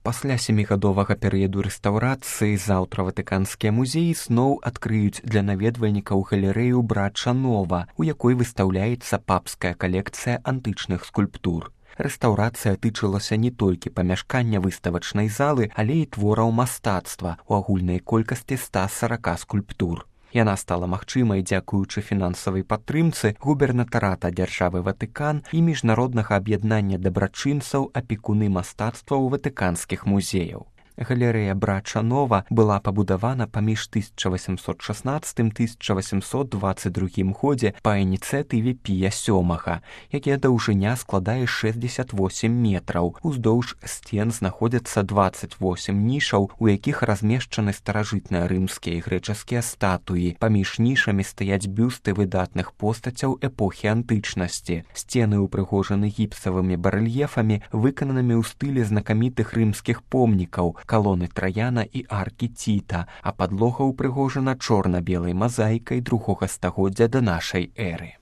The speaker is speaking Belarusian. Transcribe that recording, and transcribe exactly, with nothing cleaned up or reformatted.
Пасля сямігадовага перыяду рэстаўрацыі заўтра ватыканскія музеі зноў адкрыюць для наведвальнікаў галерэю Брача Нова, у якой выстаўляецца папская калекцыя антычных скульптур. Рэстаўрацыя тычылася не толькі памяшкання выставачнай залы, але і твораў мастацтва у агульнай колькасці ста сорока скульптур. Яна стала магчымай дзякуючы фінансавай падтрымцы губернатарата дзяржавы Ватыкан і міжнароднага аб'яднання дабрачынцаў апекуны мастацтваў ватыканскіх музеяў. Галерэя Брача Нова была пабудавана паміж тысяча васемсот шаснаццатым - тысяча васемсот дваццаць другім годзе па ініцыятыве Пія сёмага, якія даўжыня складае шэсцьдзесят восем метраў. Уздоўж сцен знаходзяцца дваццаць восем нішаў, у якіх размешчаны старажытныя рымскія і грэчаскія статуі. Паміж нішамі стаяць бюсты выдатных постацяў эпохі антычнасці. Сцены ўпрыгожаны гіпсавымі барэльефамі, выкананымі ў стылі знакамітых рымскіх помнікаў, калоны Траяна і аркі Ціта, а падлога ўпрыгожана чорна-белай мазаікай другога стагоддзя да нашай эры.